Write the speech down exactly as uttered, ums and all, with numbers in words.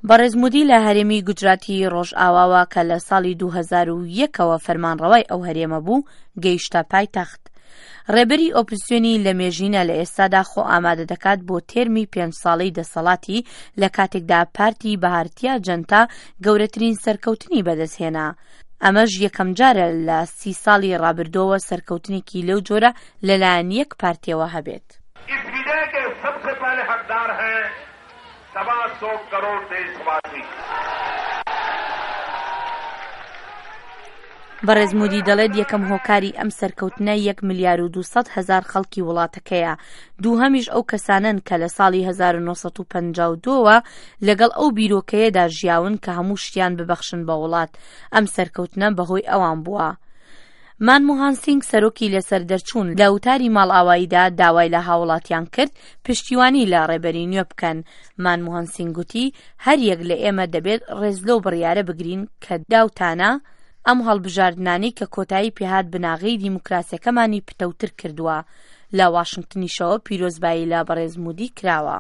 بەڕێز مودی لە هەرێمی گوجراتی ڕۆژئاواوە کە لە ساڵی دوو هەزار و یەک ەوە فەرمانڕەوای ئەو هەرێمە بوو، گەیشتە پایتەخت. ڕێبەری ئۆپزسیۆنی لە مێژینە لە ئێستادا خۆ ئامادە دەکات بۆ تێرمی پێنج ساڵەی دەسەڵاتی، لە کاتێکدا پارتی بەهارتیا جەنتا گەورەترین سەرکەوتنی بەدەستهێنا. ئەمەش یەکەمجارە لە سی ساڵی ڕابردووەوە سەرکەوتنێکی لەو جۆرە لەلایەن یەک پارتیەوە هەبێت. اس وجے کے سب سے پہلے حقدار ہیں سوا سو کروڑ دیشواسی۔ بەڕێز مودی دەڵێت یەکەم هۆکاری ئەم سەرکەوتنە یەک ملیار و دوو سەد هەزار خەڵکی وڵاتەکەیە، دووهەمیش ئەو کەسانەن کە لە ساڵی هەزار و نۆ سەد و پەنجا و دوو ەوە لەگەڵ ئەو بیرۆکەیەدا ژیاون کە هەموو شتیان ببەخشن بە وڵات، ئەم سەرکەوتنە بەهۆی ئەوان بووە. مانمۆهان سینگ سەرۆکی لەسەر دەرچوون لە وتاری ماڵئاواییدا داوای لە هاوڵاتیان کرد پشتیوانی لە ڕێبەری نوێ بکەن. مانمۆهان سینگ گوتی هەر یەک لە ئێمە دەبێت ڕێز لەو بڕیارە بگرین کە داوتانە ئەم هەڵبژاردنانەی کە کۆتایی پێهات بناغەی دیموکراسیەکەمانی پتەوتر کردووە. لە واشنگتنیشەوە پیرۆزبایی لە بەڕێز مودی کراوە.